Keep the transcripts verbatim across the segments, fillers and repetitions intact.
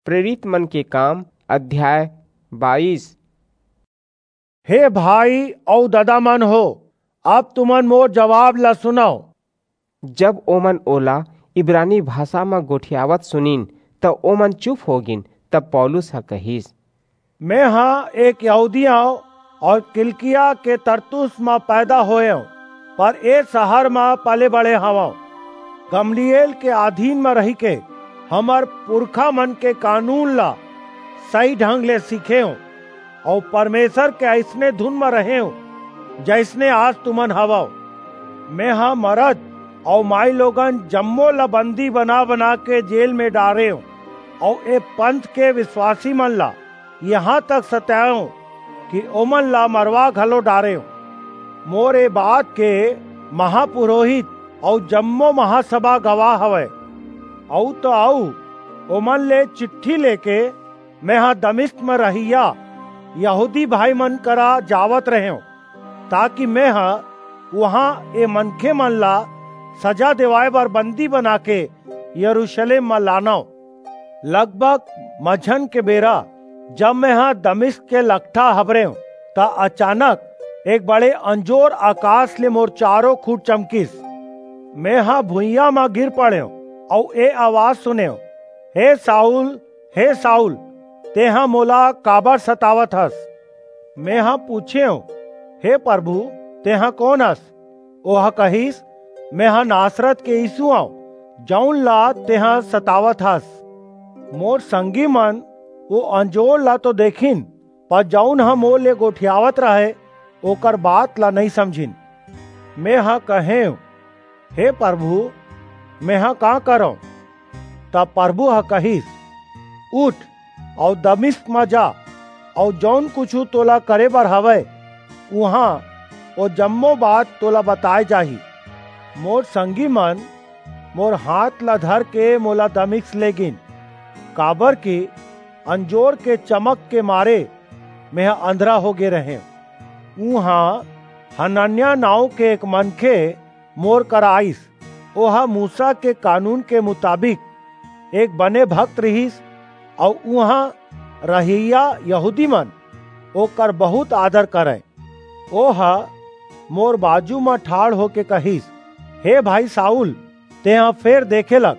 प्रेरित मन के काम, अध्याय बाईस। हे भाई अऊ ददा मन हो, अब तुमन मोर जवाब ला सुनव। जब ओमन ओला इब्रानी भाषा म गोठियावत सुनिन, त ओमन चुप हो गिन। तब पौलुस ह कहिस, मैं ह एक यहूदी आंव अऊ किलिकिया के तरसुस म पैदा होएंव, पर ए शहर म पले बड़े हवंव। गमलीएल के अधीन म रहिके हमर पुरखा मन के कानून ला सही ढंग ले सीखेंव अऊ परमेसर के अइसने धुन म रहेंव, जइसने आज तुमन हवव। मैं ह मरद अऊ माईलोगन जम्मो ला बंदी बना-बना के जेल म डारेंव अऊ ए पंथ के बिसवासी मन ला इहां तक सताएंव कि ओमन ला मरवा घलो डारेंव। मोर ए बात के महापुरोहित अऊ जम्मो महासभा गवाह हवय। अऊ तो अऊ, ओमन ले चिट्ठी लेके मैं ह दमिश्क म रहइया यहूदी भाई मन करा जावत रहेंव, ताकि मैं ह उहां ए मनखे मन ला सजा देवाय बर बंदी बनाके यरूसलेम म लानव। लगभग मझन के बेरा, जब मैं ह दमिश्क के लकठा हबरेंव, त अचानक एक बड़े अंजोर अकास ले मोर चारों खूंट चमकिस। मैं ह भुइयां म गिर पड़ेंव अऊ ए अवाज सुनेंव, हे साऊल, हे साऊल, तेंह मोला काबर सतावत हस? मैं ह पूछेंव, हे परभू, तेंह कोन अस? ओह कहिस, मैं ह नासरत के यीसू अंव, जऊन ला तेंह सतावत हस। मोर संगी मन ओ अंजोर ला तो देखिन, पर जऊन ह मोर ले गोठियावत रहय, ओकर बात ला नइं समझिन। मैं ह कहेंव, हे परभू, मैं ह का करंव? तब परभू ह कहिस, उठ अऊ दमिश्क म जा, अऊ जऊन कुछू तोला करे बर हवय, उहां ओ जम्मो बात तोला बताय जाही। मोर संगी मन मोर हांथ ला धरके मोला दमिश्क लेगिन, काबरकि अंजोर के चमक के मारे मेंह अंधरा होगे रहेंव। उहां हनन्याह नांव के एक मनखे मोर करा आईस। ओह मूसा के कानून के मुताबिक एक बने भक्त रिहिस, अऊ उहां रहइया यहूदी मन ओकर बहुंत आदर करंय। ओह मोर बाजू म ठाढ़ होके कहिस, हे भाई साऊल, तेंह फेर देखे लग।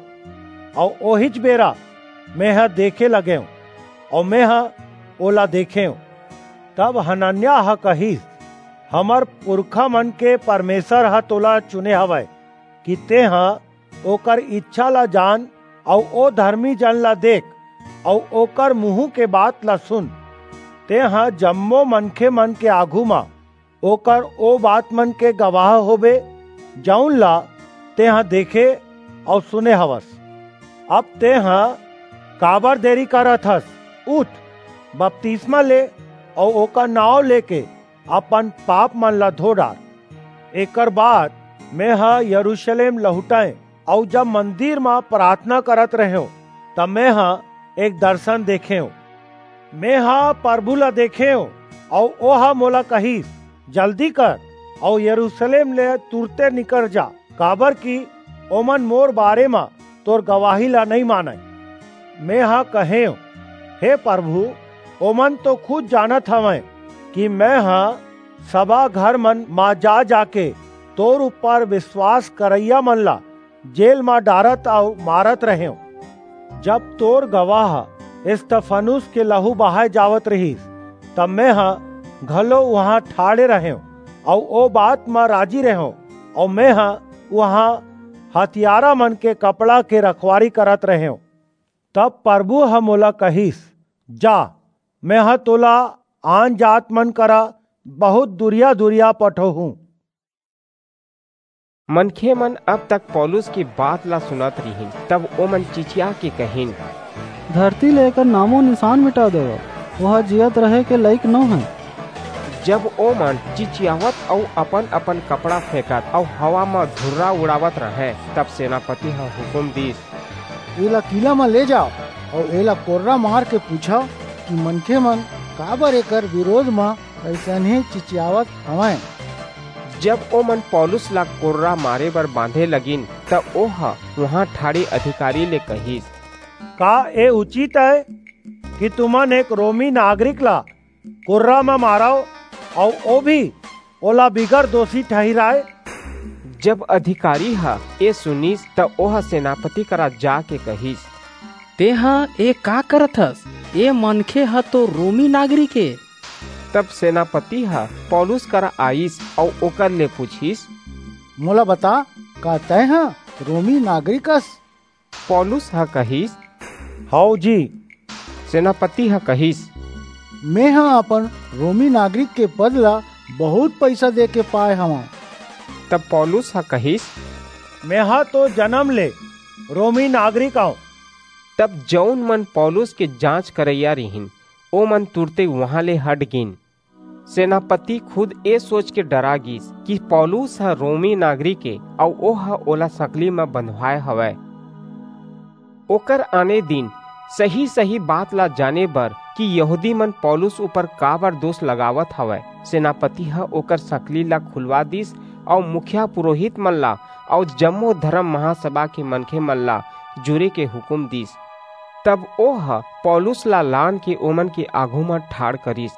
अऊ ओहीच बेरा मेंह देखे लगेंव, अऊ मेंह ओला देखेंव। तब हनन्याह ह कहिस, हमर पुरखा मन के परमेसर ह तोला चुने हवय कि तेंह ओकर ईछा ला जान अऊ ओ धरमी जन ला देख अऊ ओकर मुहूं के बात ला सुन। तेंह जम्मो मनखे मन के आघू म ओकर ओ बात मन के गवाह होबे, जऊन ला तेंह देखे अऊ सुने हवस। अब तेंह काबर देरी करत हस? उठ, बपतिस्मा ले अऊ ओकर नांव लेके अपन पाप मन ला धो डार। एकर बाद मेंह यरूसलेम लहुटेंव, अऊ जब मंदिर म पराथना करत रहेंव, त मेंह एक दरसन देखेंव। मेंह परभू ला देखेंव, अऊ ओह मोला कहिस, जल्दी कर, अऊ यरूसलेम ले तुरते निकर जा, काबरकि ओमन मोर बारे म तोर गवाही ला नइं मानंय। मेंह कहेंव, हे परभू, ओमन तो खुद जानत हवंय कि मेंह सभा घर मन म जा-जाके तोर ऊपर बिसवास करइया मन ला जेल म डारत अऊ मारत रहेंव। जब तोर गवाह इस्तफानुस के लहू बहाय जावत रिहिस, तब मेंह घलो उहां ठाढ़े रहेंव अऊ ओ बात म राजी रहेंव, अऊ मेंह उहां हतियारा मन के कपड़ा के रखवारी करत रहेंव। तब परभू ह मोला कहिस, जा, मेंह तोला आनजात मन करा बहुंत दूरिया-दूरिया पठोहूं। मनखे मन अब तक पौलुस के बात ला सुनत रिहिन, तब ओमन चिचिया के कहिन, धरती ले एकर नामो निसान मिटा देवव, ओह जियत रहे के लइक नो हे। जब ओमन चिचियावत अऊ अपन-अपन कपड़ा फेंकत अऊ हवा म धुर्रा उड़ावत रहंय, तब सेनापति ह हुकूम दीस, एला किला म ले जाव अऊ एला कोर्रा मार के पूछव कि मनखे मन काबर एकर बिरोध म अइसनहे चिचियावत हवंय। जब ओमन पौलुस ला कोर्रा मारे बर बांधे लगिन, त ओह उहां ठाढ़े अधिकारी ले कहिस, का ए उचित अय कि तुमन एक रोमी नागरिक ला कुर्रा म मारव, अऊ ओ भी ओला बिगर दोषी ठहिराय? जब अधिकारी ह ए सुनिस, त ओह सेनापति करा जाके कहिस, "तेंह ए का करत हस? ए मनखे ह तो रोमी नागरिक ए।" तब सेनापति ह पौलुस करा आईस अऊ ओकर ले पूछिस, "मोला बता, का तैं ह रोमी नागरिक अस?" पौलुस ह कहिस, "हव जी।" सेनापति ह कहिस, "मेंह अपन रोमी नागरिक के पद ला बहुत पइसा देके पाय हवंव।" तब पौलुस ह कहिस, "मेंह तो जनम ले रोमी नागरिक अंव।" तब जऊन मन पौलुस के जांच करइया रिहिन, ओमन तुरते उहां ले हट गीन। सेनापति खुद ए सोच के डरा गीस कि पौलुस ह रोमी नागरिक ए अऊ ओह ओला संकली म बंधवाय हवय। ओकर आने दिन सही-सही बात ला जाने बर कि यहूदी मन पौलुस ऊपर काबर दोष लगावत हवय, सेनापति ह ओकर संकली ला खुलवा दिस अऊ मुखिया पुरोहित मन ला अऊ जम्मो धर्म महासभा के मनखे मन ला जुरे के हुकूम दिस। तब ओह पौलुस ला लान के ओमन के आघू म ठाढ़ करिस।